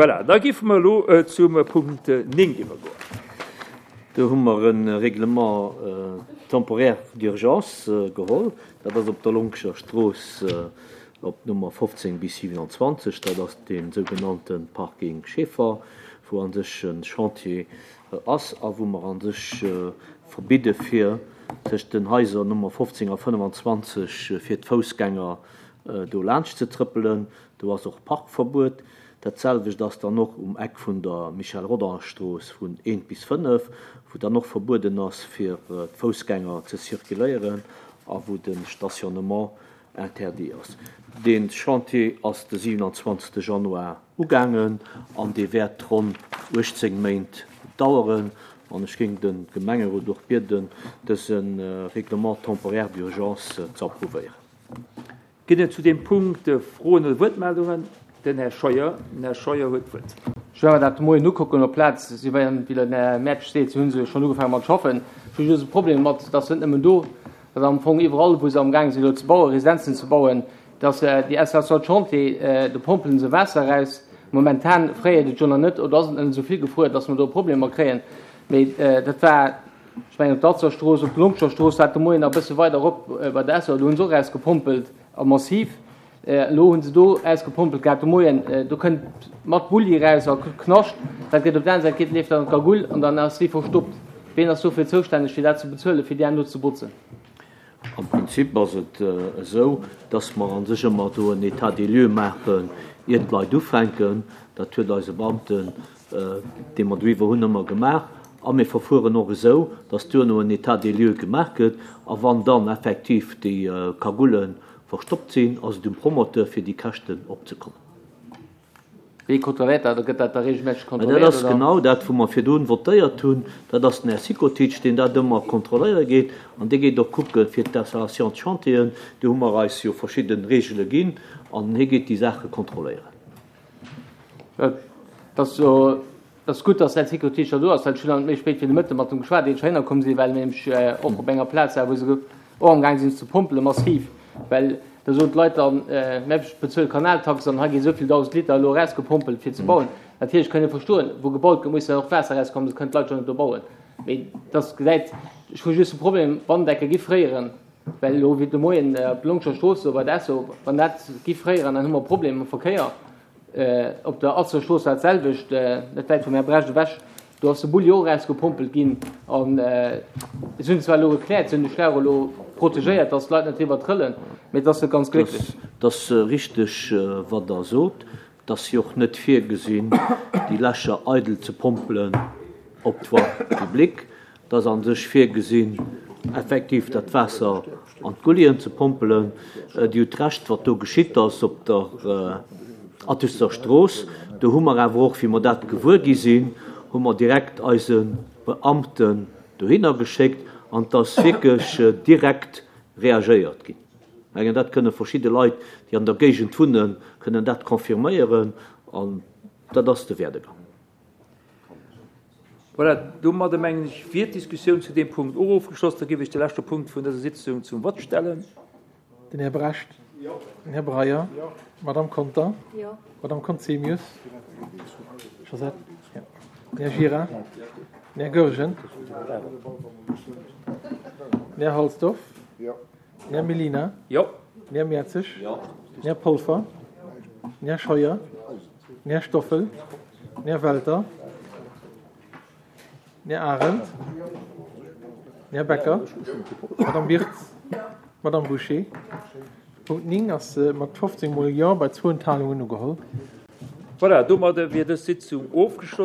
Voilà, da géife mer elo zum Punkt 9 iwwergoen. Do hu mer e Règlement temporaire d'urgence geholl. Dat ass op der Lonkescher Strooss op Nummer 15 bis 27. Dat ass dee sougenannte Parking Schaeffer, wou a sech e Chantier ass a wou mer a sech verbidde fir tëscht den Haiser Nummer 15 a 25 fir d'Foussgänger do laanscht ze trëppelen. Do ass och Parkverbuet. Dat selwecht ass dann och um Eck vun der Michel Rodange-Strooss vun eent bis 5, wou dann och verbueden ass fir d'Foussgänger ze circuléieren a wou de Stationnement interdit ass. Dee Chantier ass de 27 Januar ugaangen an dee wäert ronn 18 Méint daueren. An ech géing de Gemengerot och bieden, dëse Règlement temporaire d'urgence ze approuvéieren. Ginn et zu deem Punkt Froen oder Wuertmeldungen? Den Här Scheuer. Den Här Scheuer huet d'Wuert. Ech war mer dat de Moien ukucken op d'Plaz. Si wéi den Här Mertsch seet, si hu se schonn ugefaange mat schaffen. Ech hu just e Problem domat, dass net nëmmen do, dass am Fong iwwerall, wou se amgaange sinn elo ze bauen, Residenzen ze bauen, dass déi Installation de chantier, do pompele se Waasser eraus. Momentan fréiert et jo nach net oder ass et net esou vill gefruer, dass mer do Problemer kréien. Mee dat war, ech mengen, op der Atzerstrooss, op der Lompscher Strooss, dat de Moien nach e bësse weider erop bei der Esso, do hu se och erausgepompelt a massiv. Elo hu se do ausgepompelt gehat de Moien, do kënnt mat Bulli eraus a Knascht. Dat gëtt op der aner Säit geet, leeft dann an d'Kagull an dann ass si verstoppt. Ween ass dofir zoustänneg, fir dat ze bezuelen, fir déi herno ze botzen? Am Prinzip ass et esou, dass mer a sech ëmmer do en État des lieux maachen, ier d'Leit ufänken. Dat huet eise Beamten, dee mer doiwwer hunn, ëmmer gemaach. A mir verfueren och esou, dass duerno en État des lieux gemaach gëtt. A wann dann effektiv déi Cagoulë verstoppt sinn, ass et um Promoteur, fir déi Käschten opzekommen. Wéi kontrolléiert dat oder gëtt dat da reegelméisseg kontrolléiert? Dat ass genau dat, wou mer virdrun votéiert hunn. Dat ass den Här Cikotic, deen dat ëmmer kontrolléiere geet. An dee geet och kucke fir d'Installation de chantieren. Do hu mer eis jo verschidde Reegele ginn an hie geet déi Saache kontrolléieren. Et ass jo Et ass gutt, dass den Här Cikotic scho do ass, well ech hunn dann méi spéit fir de Mëtte mat em geschwat, ier ech heihinner komm sinn, well mir nämlech och op enger Plaz waren, wou se och amgaang sinn ze pompelen, massiv, well da soen d'Leit dann, mä ech bezuele Kanaltax an hei gi esou vill 1.000 Liter elo erausgepompelt fir ze bauen. Natierlech kann ee verstoen, wou gebaut gëtt, muss dann och d'Waasser erauskommen, soss kënnen d'Leit jo net do bauen. Mee dass gesäit, ech hu just de Problem, Wanddecke gi fréieren, well elo wéi de Moien op der Longscher Strooss do bei der Esso, wann dat gi fréieren, dann hu mer e Problem mam Verkéier. Op der Atzer Strooss war et d'selwecht, net wäit vum Här Brecht ewech. Do ass de Bulli och erausgepompelt ginn. An se hunn zwar elo gekläert, se hunn de Schlauch elo protegéiert, datt d'Leit net driwwer trëllen, mee et ass net ganz glécklech. Et ass richteg, wat Der sot. Et ass jo och net virgesinn, déi Lächer eidel ze pompelen op d'Voie publique. Et ass a sech virgesinn, effektiv dat Waasser an d'Gullien ze pompelen. Dir hutt Recht, wat do geschitt ass op der Attester Strooss, do hu mer awer och, wéi mer dat gewuer gi sinn, hu mer direkt eise Beamten dohinner geschéckt an et ass wierklech direkt reagéiert ginn. Ech mengen, dat kënne verschidde Leit, déi an der Géigend wunnen, kënnen dat confirméieren an dat ass de Werdegang. Voilà, domadder mengen ech, wier d'Diskussioun zu deem Punkt och ofgeschloss. Da géif ech de leschte Punkt vun dëser Sitzung zum Vott stellen. Den Här Brecht. Den Här Breyer. D'Madame Conter. D'Madame Conzemius. Josette. Den Här Gira. Den Här Goergen. Den Här Halsdorf. Den Här Mellina. Den Här Mertzig. Den Här Polfer. Den Här Scheuer. Den Här Stoffel, den Här Welter, den Här Arendt, den Här Becker, d'Madame Wirtz, d'Madame Bouché. Punkt 9 ass mat 15 mol Jo bei zwou Enthalungen ugeholl. Voilà, domadde wier dës Sitzung ofgeschloss.